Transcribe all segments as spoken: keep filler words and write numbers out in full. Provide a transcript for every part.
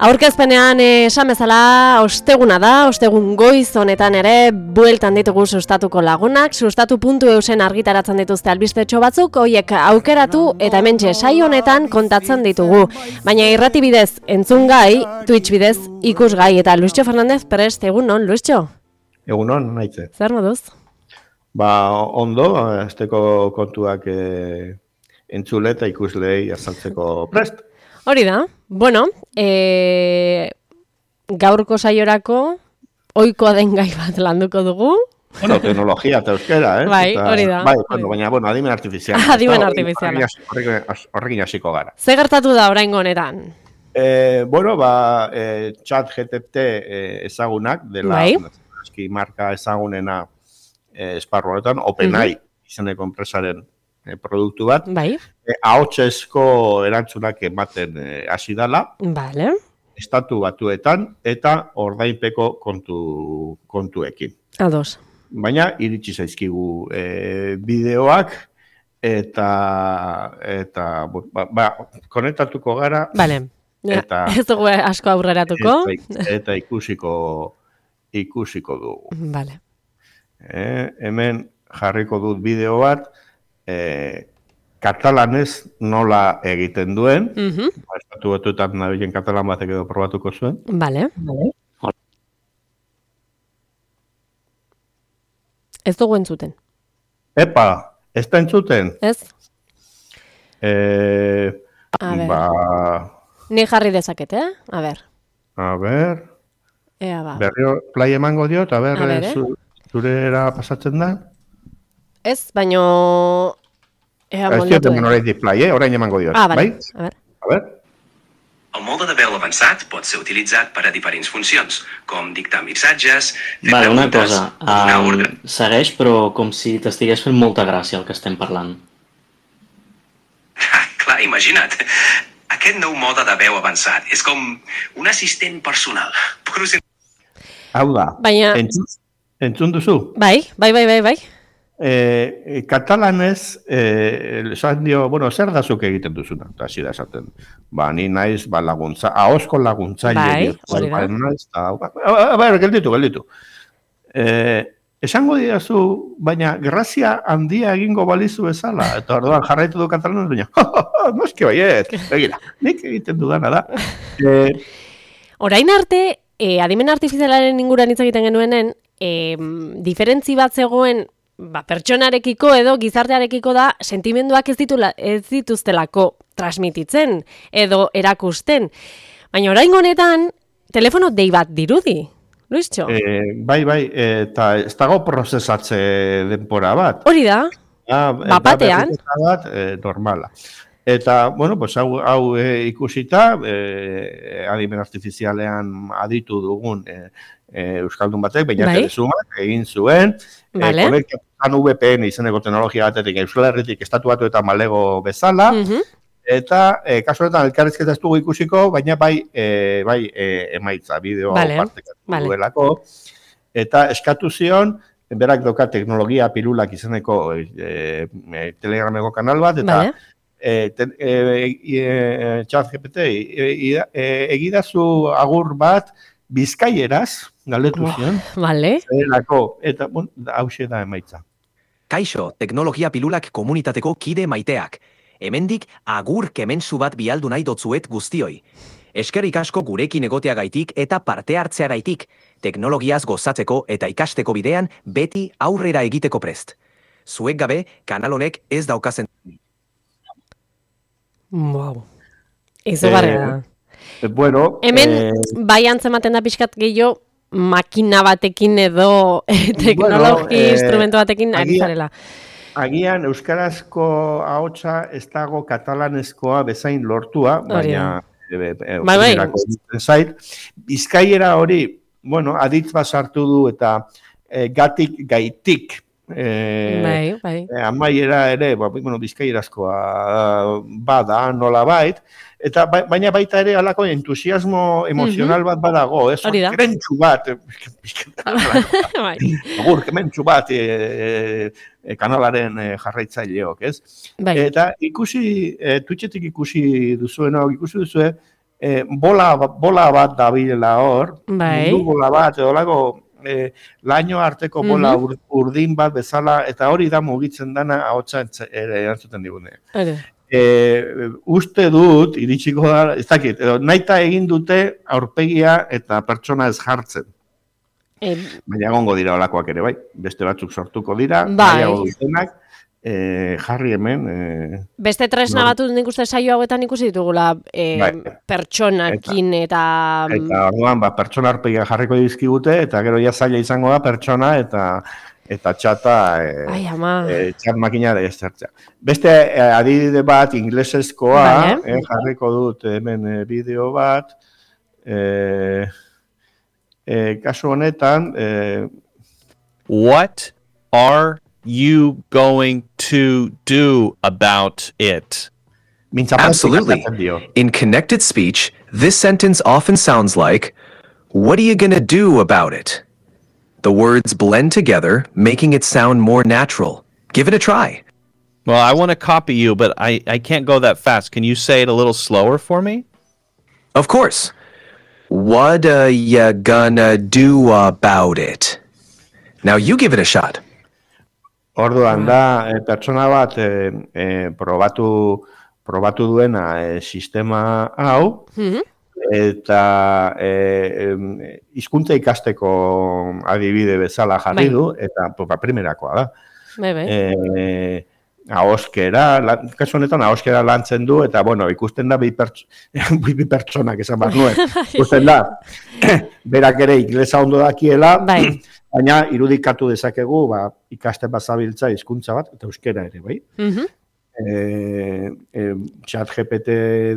Aurkezpenean esan bezala osteguna da, ostegun goiz honetan ere bueltan ditugu sustatuko lagunak, sustatu puntu eusen argitaratzen dituzte albistetxo batzuk, hoiek aukeratu eta hementxe saio honetan kontatzen ditugu. Baina irrati bidez entzungai, Twitch bidez ikusgai eta Luisio Fernandez prest, egun non, Luisio? Egun non, naitze. Zer moduz? Ba, ondo, azteko kontuak e, entzule eta ikuslei azaltzeko prest. Hori da, bueno, e, gaurko saiorako ohikoa den gai bat landuko dugu. Bueno, teknologia eta euskera, eh? Bai, hori da. Bai, bueno, baina, bueno, adimen artifiziala. Adimen artifiziala. Horrekin hasiko gara. Ze gertatu da oraingo honetan? Eh, bueno, ba, eh, chat G P T eh, ezagunak, dela, bai. Eski marka ezagunena eh, esparru honetan, OpenAI uh-huh. izeneko enpresaren eh, produktu bat. Bai. Eh, ahotsezko erantzunak ematen hasi eh, dala. Vale. Estatu batuetan eta ordainpeko kontu, kontuekin. Ados. Baina iritsi zaizkigu eh, bideoak eta eta ba, ba, konektatuko gara. Vale. Eta ez dugu asko aurreratuko. Eta, eta ikusiko ikusiko dugu. Vale. Eh, hemen jarriko dut bideo bat, eh, katalanez nola egiten duen. Uh-huh. Estatu batuetan nabilen katalan batek edo probatuko zuen. Vale. Vale. Ez dugu entzuten. Epa, ez da entzuten? Ez. Eh, A ber. Ba... Ni jarri dezaket, eh? A ber. A ber... Ea ba. Berrio play emango diot, a ber, a ber eh? zu, zurera pasatzen da? Ez, baino... Ea moldatu. Ez diot eman horrein display, eh? Orain emango diot. Ah, vale. Bai? A ver. A ver. El mode de veu avançat pot ser utilitzat per a diferents funcions, com dictar missatges, fer vale, una preguntes, cosa, donar um, ordre. Segueix, però com si t'estigués fent molta gràcia el que estem parlant. Ah, clar, imagina't. Aquest nou mode de veu avançat és com un assistent personal. Hau da, baina... entzun, entzun duzu? Bai, bai, bai, bai, bai. Eh, katalanez, eh, esan dio, bueno, zer da zuk egiten duzuna? Eta hasi da esaten, ba, ni naiz, ba, laguntza, ahosko laguntzaile. Bai, hori da. Naiz, ta, ba, a ber, gelditu, gelditu. Eh, esango didazu, baina grazia handia egingo balizu bezala, eta orduan jarraitu du katalanez, baina, noski baiet, begira, nik egiten dudana da. Eh, Orain arte, eh, adimen artifizialaren inguruan hitz egiten genuenen, eh, diferentzi bat zegoen, ba, pertsonarekiko edo gizartearekiko da sentimenduak ez, ditula, ez dituztelako transmititzen edo erakusten. Baina oraingo honetan, telefono dei bat dirudi, Luisio? Eh, bai, bai, eta ez dago prozesatze denpora bat. Hori da, ah, bapatean. Bat, eh, normala. Eta, bueno, pues, hau, hau e, ikusita, e, adimen artifizialean aditu dugun e, e, Euskaldun batek, baina bai? telesumak egin zuen, vale. e, konektan V P N izeneko teknologia batetik Euskal Herritik estatu batu eta malego bezala, uh-huh. eta e, kasu honetan elkarrizketa ez dugu ikusiko, baina bai, e, bai e, emaitza, bideo vale. partekatu vale. duelako, eta eskatu zion, berak doka teknologia pilulak izeneko e, e, telegrameko kanal bat, eta vale. E, ten, e, e, chat G P T e, e, egidazu agur bat bizkaieraz galdetu zion. Vale. Zerako, eta bon, hause da emaitza. Kaixo, teknologia pilulak komunitateko kide maiteak. Hemendik agur kementsu bat bialdu nahi dotzuet guztioi. Eskerrik asko gurekin egoteagaitik eta parte hartzeagaitik. Teknologiaz gozatzeko eta ikasteko bidean beti aurrera egiteko prest. Zuek gabe, kanal honek ez daukazen. Wow. Izugarria da. Eh, bueno, hemen, eh, bai antzematen da pixkat gehiago, makina batekin edo teknologi bueno, eh, instrumento batekin ari zarela. Agian euskarazko ahotsa ez dago katalanezkoa bezain lortua, baina e, e, bai, bai. zait, bizkaiera hori, bueno, aditz bat sartu du eta e, gatik gaitik. Eh, bai, bai. Eh, amaiera ere, ba, bueno, bizkaierazkoa bada, nola bait, eta ba, baina baita ere alako entusiasmo emozional uh-huh. bat badago, ez? Hori da. Kementsu bat, agur, kementsu bat e, e, kanalaren e, jarraitzaileok, ez? Bai. Eta ikusi, e, Twitchetik ikusi duzuena, ikusi duzue, e, bola, bola bat dabilela hor, Bai. mundu bola bat, edo lago, e, laino arteko bola Mhm. ur, urdin bat bezala, eta hori da mugitzen dana ahotsa entz- ere erantzuten digune. Ere. E, uste dut, iritsiko da, ez dakit, edo, nahita egin dute aurpegia eta pertsona ez jartzen. E, Baina egongo dira olakoak ere, bai. Beste batzuk sortuko dira, Bai. nahiago dutenak, e, jarri hemen, e, beste tresna Nor- batuz nik uste saio hauetan ikusi ditugula e, Bai. pertsonakin eta... eta orduan, ba, pertsona aurpegia jarriko dizkigute, eta gero ja zaila izango da pertsona, eta eta txata, e, Ai, ama. e, txat makina da ezertzea. Beste e, adibide bat, inglesezkoa, Vale. eh, jarriko dut hemen e, bideo bat, e, e, kasu honetan, e, What are you going to do about it? mintzaparetik Absolutely. esaten dio. In connected speech, this sentence often sounds like, "What are you gonna do about it?" The words blend together, making it sound more natural. Give it a try. Well, I want to copy you, but I, I can't go that fast. Can you say it a little slower for me? Of course. What are you gonna do about it? Now you give it a shot. Orduan da, e, pertsona bat e, e, probatu, probatu duena e, sistema hau, Mhm. eta e, em, hizkuntza ikasteko adibide bezala jarri Bai. du, eta ba, primerakoa da. Bai, bai. E, ahoskera, lan, kasu honetan ahoskera lantzen du, eta bueno, ikusten da bi, perts bi pertsonak esan bat nuen. Ikusten da, berak ere inglesa ondo dakiela, Bai. baina irudikatu dezakegu, ba, ikasten bazabiltza hizkuntza bat, eta euskera ere, bai. Mhm. E, e, chat G P T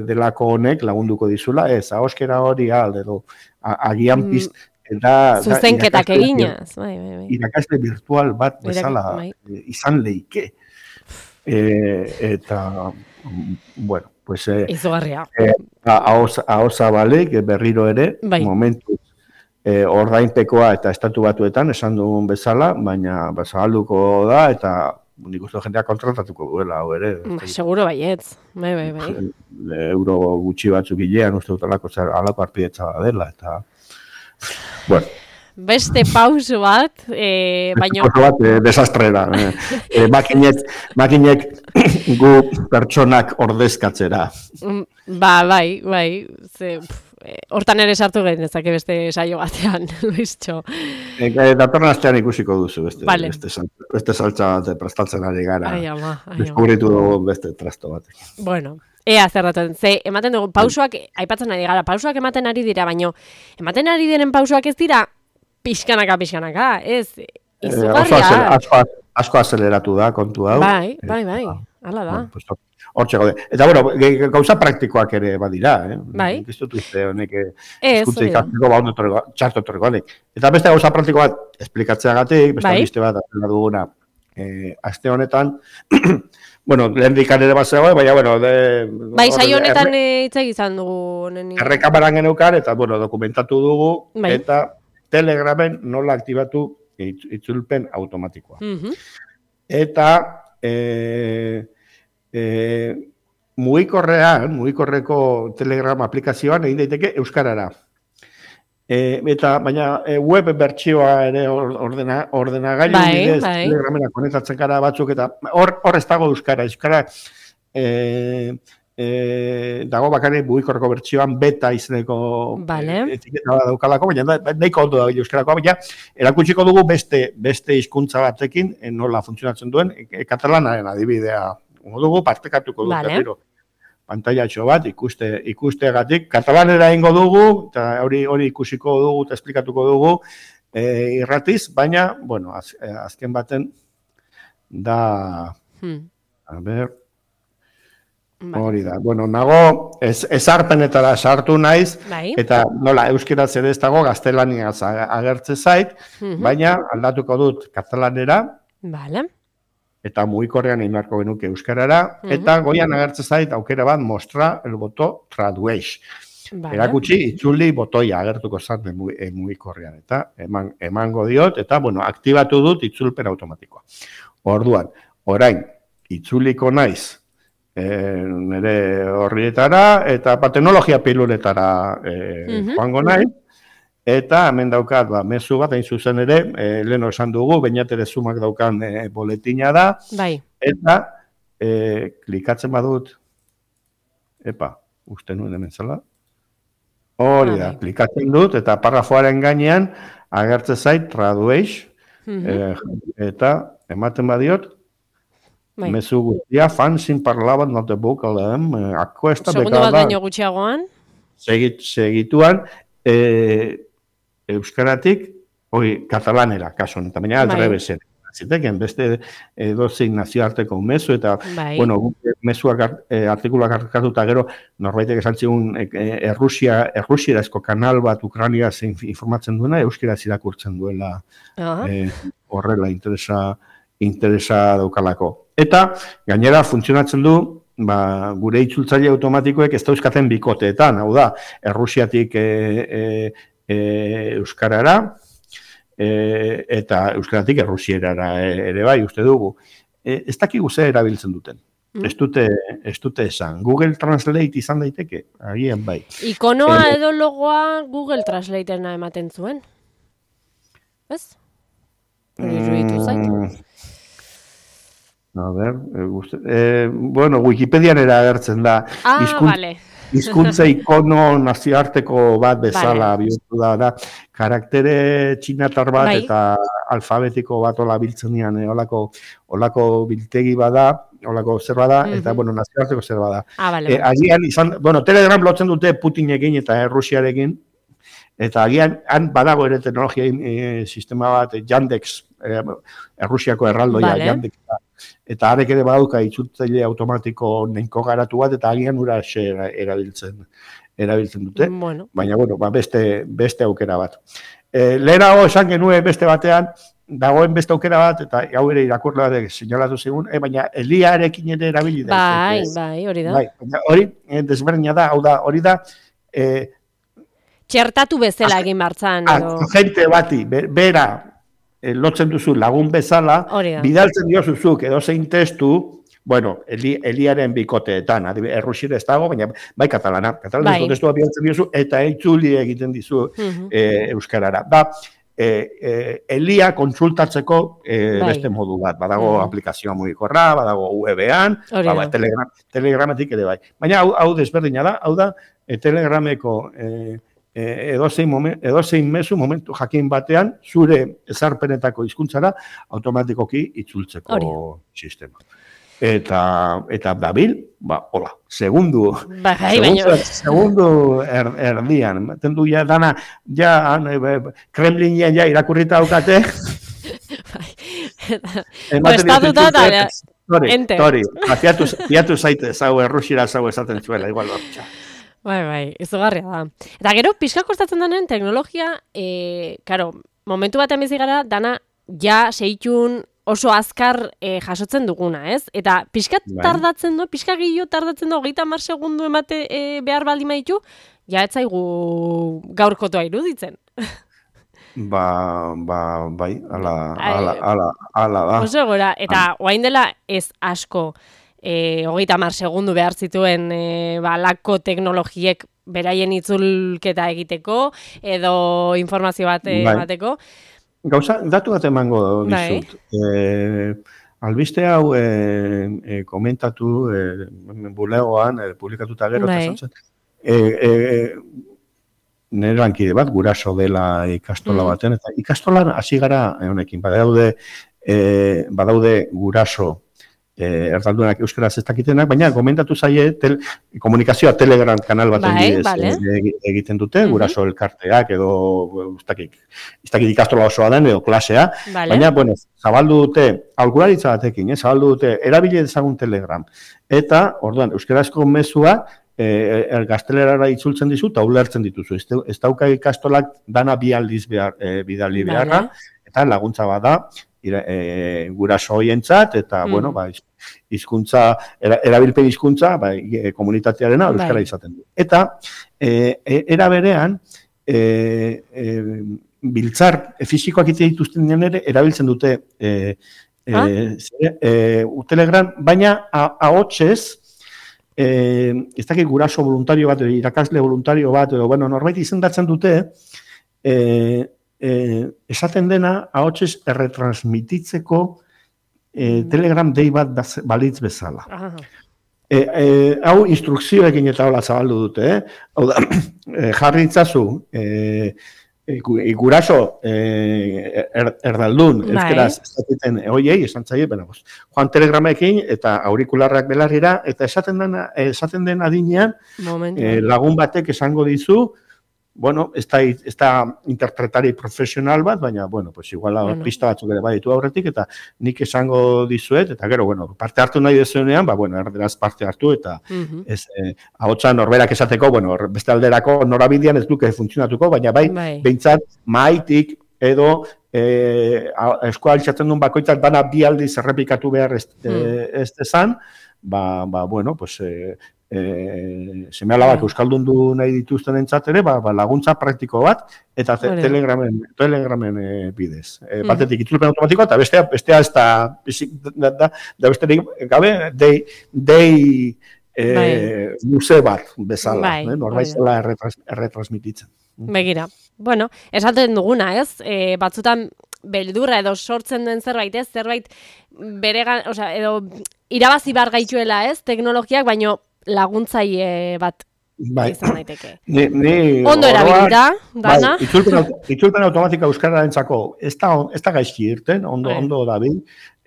delako honek lagunduko dizula, ez, ahoskera hori alde, edo, a- agian Mm. piz, da, da Zuzenketak irakasle- eginaz. Bai, bai, bai. irakasle virtual bat Irak- bezala bai. e, izan leike. E, eta, mm, bueno, pues, e, Izugarria. ahoza balik, berriro ere, Bai. momentu e, ordainpekoa eta estatu batuetan esan dugun bezala, baina ba, zabalduko da, eta nik uste jendeak kontratatuko duela, hau ere. Ba, seguro baietz. Bai, bai, bai. Euro gutxi batzuk hilean uste dut alako, zer, alako arpidetza dela, eta... Bueno, Beste pauso bat, e, baino... oso bat, eh, desastrera. Eh, eh, makinek, makinek gu pertsonak ordezkatzera. Mm, Ba, bai, bai. Ze, pf, eh, hortan ere sartu genezake beste saio batean, Luistxo. E, e, datorren astean ikusiko duzu, beste, Vale. beste, saltza, beste saltza bat prestatzen ari gara. Ai, ama, ai, ama. Deskubritu dugu beste trasto bat. Bueno, ea zerraten. Ze, ematen dugu, pausoak, aipatzen ari gara, pausoak ematen ari dira, baino, ematen ari diren pausoak ez dira, pixkanaka, pixkanaka, ez, Eh, oso izugarria. azel- asko, asko azeleratu da kontu hau. Bai, bai, bai, hala da. Bueno, pues, hortxe gaude. Eta, bueno, ge- gauza praktikoak ere badira, eh? Bai. Ez dut uste honek eh, Ez, hizkuntza hori da. ikasteko ba ondo etorriko- txarto etorriko honek. Eta beste gauza praktiko bat esplikatzeagatik, beste Bai. albiste bat atera duguna eh, aste honetan, bueno, lehen dikan ere bat zegoen, baina, bueno, de, Bai, hor- saio honetan erre- eh, hitz egizan dugu honen. errekameran geneukan, eta, bueno, dokumentatu dugu, Bai. eta Telegramen nola aktibatu itz- itzulpen automatikoa. Mhm. Eta e, e, mugikorrean, mugikorreko Telegram aplikazioan egin daiteke euskarara. E, eta baina e, web bertsioa ere or- ordena ordenagailu Bai, bidez bai. Telegramera konektatzen gara batzuk eta hor hor ez dago euskara, euskara e, e, dago bakarrik mugikorreko bertsioan beta izeneko Vale. e, etiketa bat daukalako, baina da- nahiko ondo da euskarakoa, baina erakutsiko dugu beste beste hizkuntza batekin e, nola funtzionatzen duen e, katalanaren adibidea. Ongo dugu partekatuko dut Vale. berriro pantailatxo bat ikuste ikusteagatik katalanera eingo dugu eta hori hori ikusiko dugu eta esplikatuko dugu e, irratiz, baina bueno, az, eh, azken baten da Hmm. a ber, Bai. hori da. Bueno, nago ez, ezarpenetara sartu naiz Bai. eta nola euskeraz ere ez dago gaztelaniaz a- agertze zait, Mhm. baina aldatuko dut katalanera Vale. eta mugikorrean egin beharko genuke euskarara, Mhm. eta goian agertzen zait aukera bat mostra el boto tradueix. Vale. Erakutsi itzuli botoia agertuko zan de mugi- eh, mugikorrean, eta eman, emango diot, eta bueno, aktibatu dut itzulpen automatikoa. Orduan, orain, itzuliko naiz e, nire horrietara, eta ba, teknologia piluletara e, Mhm. joango nahi. Eta hemen daukat, ba, mezu bat, hain zuzen ere, e, leheno esan dugu, bainatere sumak daukan e, boletina da, Bai. eta e, klikatzen badut, epa, uste nuen hemen zela, hori Ah, da, bai. klikatzen dut, eta parrafoaren gainean, agertzen zait, tradueix, Mhm. e, eta ematen badiot, Bai. mezu guztia, fan sin parlaban not the vocal em, akuesta Segundo bat bekada, baino gutxiagoan. segit, segituan, e, euskaratik, hori, katalanera, kaso honetan, baina Bai. aldrebesen. Ziteken, beste edozein nazioarteko mezu, eta, Bai. bueno, guk mezuak art- e, artikulak hartkatuta gero, norbaitek esan zigun, e, e, Errusia, errusierazko kanal bat Ukrania zein informatzen duena, euskaraz irakurtzen duela Ah, e, horrela interesa, interesa daukalako. Eta, gainera, funtzionatzen du, ba, gure itzultzaile automatikoek ez dauzkaten bikoteetan, hau da, Errusiatik e, e, e, euskarara, e, eta euskaratik errusierara ere bai, uste dugu. E, ez dakigu ze erabiltzen duten. Mm. Ez dute, ez dute esan. Google Translate izan daiteke, agian bai. ikonoa Eh, edo logoa Google Translateena ematen zuen. Ez? Hori iruditu zait. Mm, A ber, e, uste, e, bueno, Wikipedian era agertzen da. Ah, Hizkun- vale. Hizkuntza ikono nazioarteko bat bezala Vale. bihurtu da, da, karaktere txinatar bat Bai. eta alfabetiko bat ola biltzen dian, e, olako, olako biltegi bada, olako zer bada, eta, Mhm. bueno, nazioarteko zer bada. Ah, vale. E, vale. agian izan, bueno, Telegram lotzen dute Putinekin eta Errusiarekin, eta agian han badago ere teknologia e, sistema bat, e, Yandex, e, Errusiako erraldoia, Vale. Yandex, eta harek ere badauka itzultzaile automatiko nahiko garatu bat, eta agian ura erabiltzen, erabiltzen dute. Bueno, Baina, bueno, ba, beste, beste aukera bat. E, lehenago esan genuen beste batean, dagoen beste aukera bat, eta hau ere irakurle batek seinalatu zigun, e, baina Eliarekin ere erabili bai, daiteke. bai, hori da. Bai, baina hori eh, desberdina da, hau da, hori da, e, Txertatu bezala egin martzan, edo... agente bati, be- bera, eh, lotzen duzu lagun bezala, Hori da. bidaltzen diozuzuk edo zein testu, bueno, Eli, Eliaren bikoteetan, adibi- errusiera ez dago, baina bai katalana, katalanezko Bai. testua bidaltzen diozu, eta itzuli egiten dizu Mhm. eh, euskarara. Da, eh, eh, Elia kontsultatzeko eh, Bai. beste modu bat, badago Mhm. aplikazioa mugikorra, badago U E B-an, Hori ba, da. ba, telegram, telegramatik ere bai. Baina hau, hau desberdina da, hau da, eh, telegrameko eh, eh, edozein, momen, edozein mezu momentu jakin batean, zure ezarpenetako hizkuntzara automatikoki itzultzeko Hori. sistema. Eta, eta dabil, ba, hola, segundu, Bai, bai, baina... segundu er, erdian, ematen du ja dana, ja, han, e, be- Kremlinen ja irakurrita daukate, ematen Prestatuta diote, eta- Tori, enter. tori, ba, fiatu, fiatu zaite, zau, errusiera zau esaten zuela, igual bortxa. Bai, bai, izugarria da. Eta gero, pixka kostatzen denen teknologia, e, karo, momentu batean bizi gara, dana ja seitun oso azkar e, jasotzen duguna, ez? Eta pixka Bai. tardatzen do, pixka gehiago tardatzen do, hogeita hamar segundu emate e, behar baldin baditu, ja ez zaigu gaurkotoa iruditzen. Ba, ba, bai, ala, Ai. ala, ala, ala da. Oso gora, eta orain dela ez asko, e, hogeita hamar segundu behar zituen e, balako teknologiek beraien itzulketa egiteko, edo informazio bat e, Bai. emateko. Gauza, datu bat emango Bai. dizut. Eh, albiste hau eh, eh, komentatu eh, bulegoan, eh, publikatuta gero, Bai. eta esan zen, eh, eh, nire lankide bat, guraso dela ikastola Mm. baten, eta ikastolan hasi gara eh, honekin, badaude, eh, badaude guraso eh, erdaldunak euskaraz ez dakitenak, baina komentatu zaie tel, komunikazioa Telegram kanal baten Bai, bidez bale. eh, egi- egiten dute, Mhm. guraso elkarteak edo ez dakit, ez dakit ikastola osoa den edo klasea, Vale. baina, bueno, zabaldu dute, aurkularitza batekin, eh, zabaldu dute, erabile dezagun Telegram. Eta, orduan, euskarazko mezua, eh, er, gaztelerara itzultzen dizu, eta ulertzen dituzu. Ez, dau- ez dauka ikastolak dana bi aldiz behar, eh, bidali Vale. beharra, eta laguntza bada, ira, e, guraso hoientzat, eta, Mm. bueno, ba, hizkuntza, era, erabilpen hizkuntza, ba, e, komunitatearena euskara Bai. izaten du. Eta, e, e, era berean, e, e, biltzar fisikoak ite dituzten ere, erabiltzen dute e, e, Ah? zere, e, Telegram, baina a- ahotsez, eh, ez dakit guraso voluntario bat, irakasle voluntario bat, edo, bueno, norbait izendatzen dute, eh, eh, esaten dena, ahotsez erretransmititzeko eh, Telegram dei bat baz, balitz bezala. Aha. E, e, hau instrukzioekin eta hola zabaldu dute, eh? Hau da, e, jarri itzazu, e, e, guraso e, er, erdaldun, bai. Euskeraz, ez dakiten, oiei, esan zaie, bena, boz, joan telegramekin eta aurikularrak belarrira, eta esaten den, esaten den adinean, e, lagun batek esango dizu, bueno, ez da, ez da interpretari profesional bat, baina, bueno, pues igual bueno. Pista batzuk ere baditu aurretik, eta nik esango dizuet, eta gero, bueno, parte hartu nahi dezuenean, ba, bueno, erderaz parte hartu, eta uh-huh. ez, eh, ahotsa norberak esateko, bueno, beste alderako norabidean ez duke funtzionatuko, baina bai, bai. Behintzat, maitik edo eh, eskoa altxatzen duen bakoitzak bana bi aldiz errepikatu behar ez, hmm. eh, ez dezan, ba, ba, bueno, pues... Eh, E, seme alabak euskaldun du nahi dituzten entzat ere, ba, ba, laguntza praktiko bat, eta te, telegramen, telegramen e, bidez. E, mm. Batetik itzulpen automatikoa, eta bestea, bestea ez da, da, da, da besterik gabe, dei, dei e, bai. Luze bat bezala, bai, eh? Norbait zela erretras, erretransmititzen. Begira, bueno, esaten duguna, ez? E, batzutan beldurra edo sortzen den zerbait, ez? Zerbait beregan, osea, edo irabazi bar gaituela, ez? Teknologiak, baino laguntzaile bat bai. Izan daiteke. Ni, ni ondo erabilita, dana. Bai, itzulpen, itzulpen automatika euskararentzako ez da, ez da gaizki irten, ondo, bai. Ondo dabil,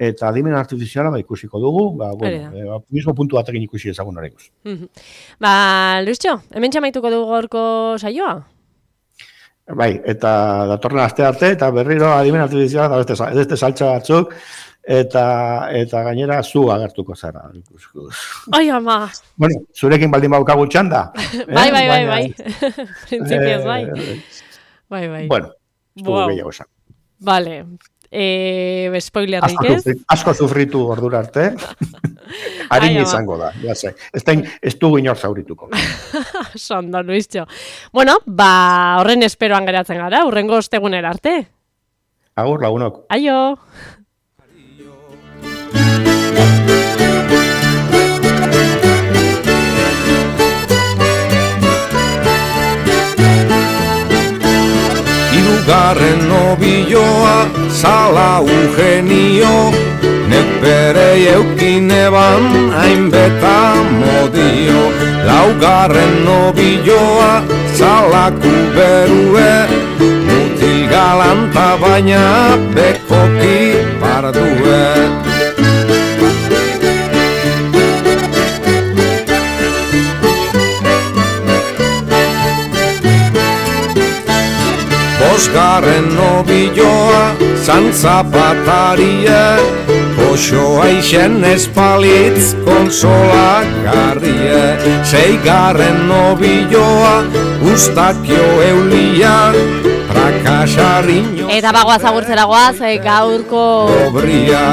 eta adimen artifiziala ba, ikusiko dugu, ba, bueno, e, mismo puntu batekin ikusi ezagun horrekuz. Mm-hmm. Ba, Luistxo, hemen txamaituko dugu gorko saioa? Bai, eta datorren aste arte, eta berriro adimen artifiziala, eta beste, beste saltza batzuk, eta eta gainera zu agertuko zara. Ai, ama. Bueno, zurekin baldin baukagu txanda. eh? Bai, bai, bai, bai. Principios, bai. Bai, bai. Bueno, estugu wow. Gehiago esan. Vale. Eh, spoilerrik ez? Asko sufritu ordura arte. Harin izango da, ja sé. Ez dugu inor zaurituko. Sondo, Luistxo. Bueno, ba, horren esperoan geratzen gara, hurrengo ostegunera arte. Agur, lagunok. Aio. Hirugarren nobioa, zala Eugenio, neperei eukin eban hainbeta modio. Laugarren nobioa, zala kuberue, mutil galanta baina bekoki pardue. Bosgarren nobioa, zantzapatarie, poxoa isen espalitz konsola garrie. Seigarren nobioa, ustakio eulia, prakasarriño. Eta bagoaz agurtzera goaz, gaurko obria.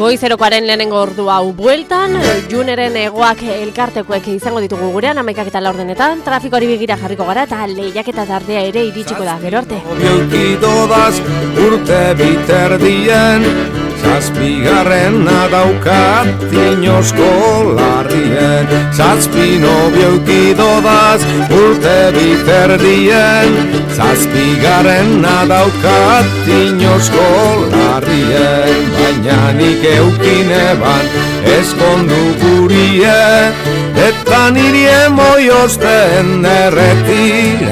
Goizerokoaren lehenengo ordu hau bueltan, Juneren egoak elkartekoek izango ditugu gurean, amaikak eta laurdenetan, trafikoari begira jarriko gara eta lehiak eta tardea ere iritsiko da, gero arte. Biokidodaz urte biterdien, zazpigarrena daukat inozko larrien. Zazpi nobiokidodaz urte biterdien, zazpigarrena daukat inozko larrien. Baina nik eukin eban eskondu gurie, eta niri emoiosten erretiratie.